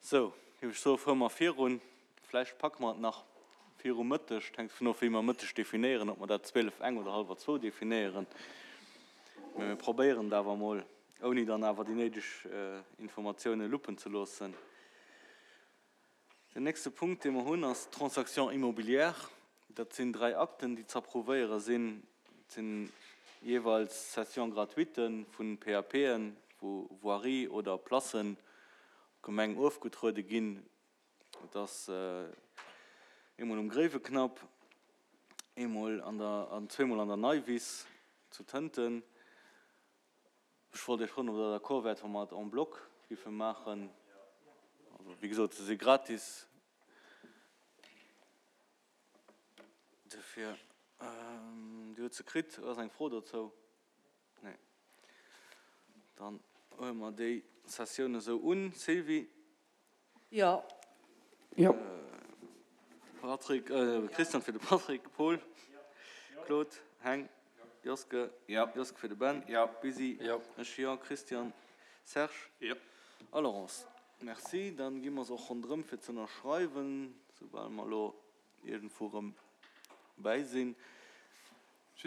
Sou, géif ech soen, fuere mer virun. Vläicht packe mer et nach viru Mëtteg. Et hänkt dovun of, wéi mer Mëtteg definéieren, ob mer dat 12, eng oder hallwer zwou definéieren. Mä mir probéieren et awer emol, ouni dann awer déi néideg Informatioune luppen ze loossen. Den nächste Punkt, dee mer hunn, ass d'Transaction immobilière. Dat sinn dräi Akten, déi ze approuvéiere sinn. Et sinn jeeweils Cessions gratuites vu PAPen, wou Voirie oder Placen op d'Gemeng ofgetruede ginn. Et ass eemol um Gréiweknapp, eemol an der an zweemol an der Neiwiss zu Tënten. Ech wollt Iech froen, ob Der d'accord wäert, wa mer et en bloc giffe maachen. Also, wéi gesot, se si gratis. Dofir, Dir hutt se kritt. Ass eng Fro dozou? Nee. Dann huele mer déi Sessioun esou un. Sylvie? Jo. Jo. Patrick, Christian fir de Patrick, Paul, Claude, Heng, Joske, Joske fir de Ben, Busy, ech, jo, Christian, Serge a Laurence. Merci. Dann gi mer se och ronderëm fir ze ënnerschreiwen, soubal mer elo iergendwou erëm bäi sinn.